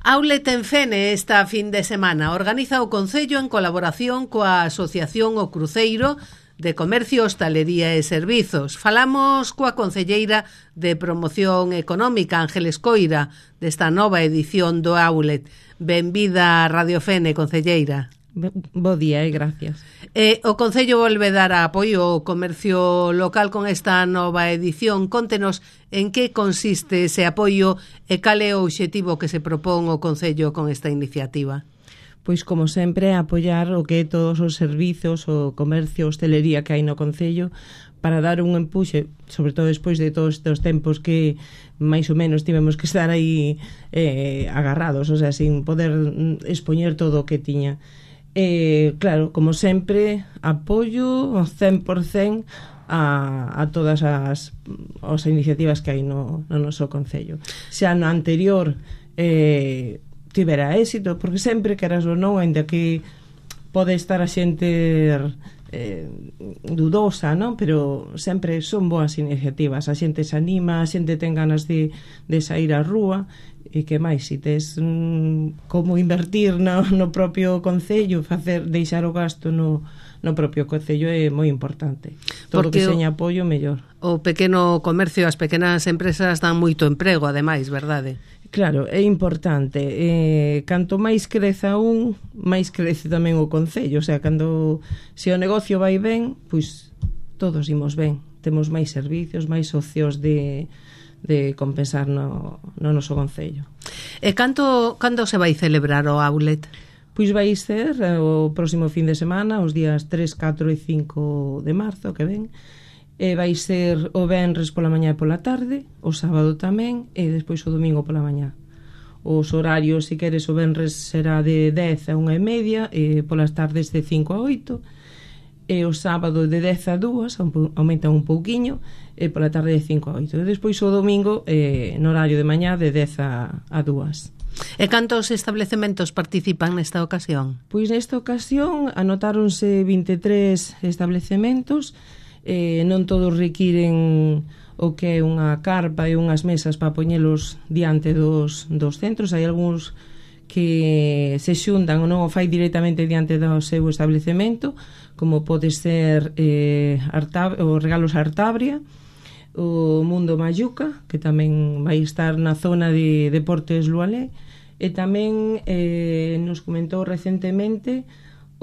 Outlet en Fene esta fin de semana organiza o Concello en colaboración coa Asociación O Cruceiro de Comercio, Hostalería e Servizos. Falamos coa concelleira de Promoción Económica, Ángeles Coira, desta nova edición do Outlet. Benvida a Radio Fene, concelleira. Bo día e gracias. O Concello volve dar apoio ao comercio local con esta nova edición. Contenos en que consiste ese apoio e cal é o obxectivo que se propón o Concello con esta iniciativa. Pois, como sempre, apoiar o que é todos os servizos, o comercio, hostelería que hai no Concello, para dar un empuxe, sobre todo despois de todos estes tempos que máis ou menos tivemos que estar aí agarrados, o sea, sin poder expoñer todo o que tiña. Claro, como sempre, apoio 100% a todas as iniciativas que hai no noso Concello. Xa no anterior tivera éxito, porque sempre, queras ou non, ainda que pode estar a xente dudosa, non? Pero sempre son boas iniciativas, a xente se anima, a xente ten ganas de sair á rúa. E que máis, se tes como invertir no propio Concello, deixar o gasto no propio Concello é moi importante. Todo que seña apoio, mellor. O pequeno comercio, as pequenas empresas dan moito emprego, ademais, verdade? Claro, é importante. Canto máis creza máis crece tamén o Concello. O sea, se o negocio vai ben, pois todos imos ben. Temos máis servicios, máis socios de compensar no noso Concello. E cando se vai celebrar o Outlet? Pois vai ser o próximo fin de semana, os días 3, 4 e 5 de marzo que ven. Vai ser o venres pola mañá e pola tarde, o sábado tamén, e despois o domingo pola mañá. Os horarios, se queres, o venres será de 10 a 1:30, e polas tardes de 5 a 8, e o sábado de 10 a 2, aumenta un pouquiño, e pola tarde de 5 a 8. E despois o domingo, no horario de mañá, de 10 a 2. E cantos establecementos participan nesta ocasión? Pois nesta ocasión anotáronse 23 establecementos, non todos requiren o que é unha carpa e unhas mesas para poñelos diante dos centros. Hai algúns que se xuntan ou non o fai directamente diante do seu establecemento, como pode ser os Regalos Artabria, o Mundo Mayuca, que tamén vai estar na zona de Deportes Lualé, e tamén nos comentou recentemente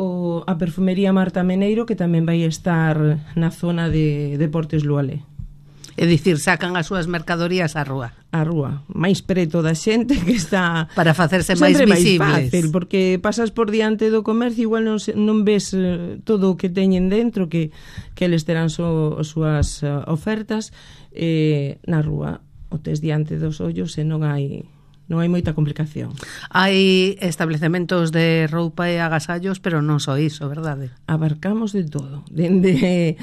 a Perfumería Marta Meneiro, que tamén vai estar na zona de Deportes Lualé. É dicir, sacan as súas mercadorías á rúa. A rúa, máis preto da xente, que está para facerse máis visibles. Máis fácil, porque pasas por diante do comercio, igual non ves todo o que teñen dentro, que eles terán as súas ofertas. Na rúa o tes diante dos ollos e non hai moita complicación. Hai establecementos de roupa e agasallos, pero non só iso, verdade? Abarcamos de todo, dende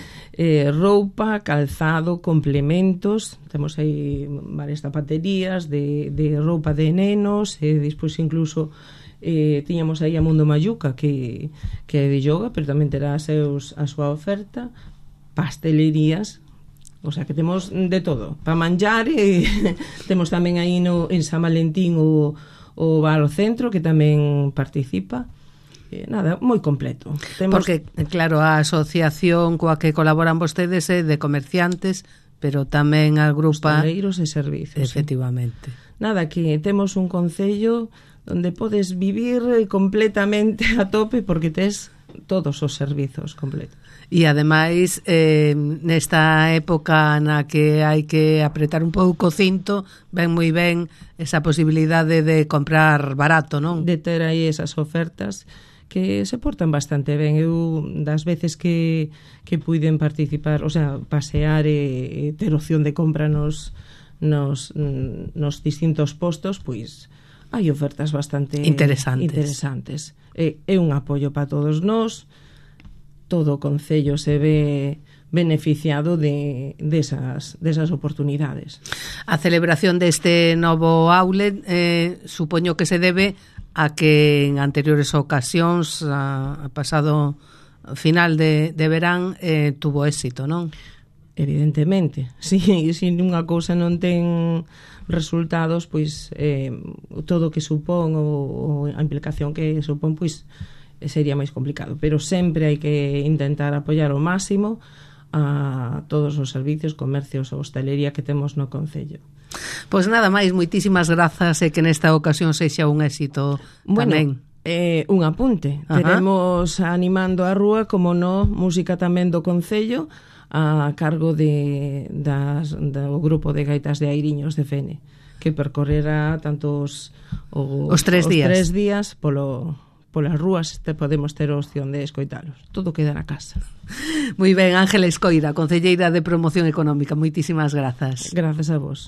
roupa, calzado, complementos. Temos aí varias zapaterías de roupa de nenos, e despois incluso tiñamos aí a Mundo Mayuca, que é de yoga, pero tamén terá a súa oferta, pastelerías. O sea, que temos de todo para manjar, e temos tamén aí en San Valentín o Bar ao Centro, que tamén participa. Nada, moi completo. Porque, claro, a asociación coa que colaboran vostedes é de comerciantes, pero tamén agrupa hostaleiros e servizos. Efectivamente. Sí. Nada, que temos un concello onde podes vivir completamente a tope, porque tes todos os servizos completos. E ademais, nesta época na que hai que apretar un pouco o cinto, ven moi ben esa posibilidade de comprar barato, non? De ter aí esas ofertas que se portan bastante ben. Eu, das veces que puiden participar, o sea, pasear e ter opción de compra nos distintos postos, pois hai ofertas bastante interesantes. É un apoio para todos nós. Todo o Concello se ve beneficiado desas oportunidades. A celebración deste novo outlet supoño que se debe a que en anteriores ocasións, a pasado final de verán, tuvo éxito, non? Evidentemente, se unha cousa non ten resultados, pois todo o que supón ou a implicación que supón, pois sería máis complicado, pero sempre hai que intentar apoiar ao máximo a todos os servicios, comercios ou hostelería que temos no concello. Pois nada máis, moitísimas grazas e que nesta ocasión sexa un éxito tamén. Un apunte. Teremos animando a rúa, como no, música tamén do concello a cargo do grupo de gaitas de Airiños de Fene, que percorrerá tanto os 3 días polas rúas, podemos ter a opción de escoitalos. Todo queda na casa. Moi ben, Ángeles Coira, concelleira de Promoción Económica, moitísimas grazas. Grazas a vos.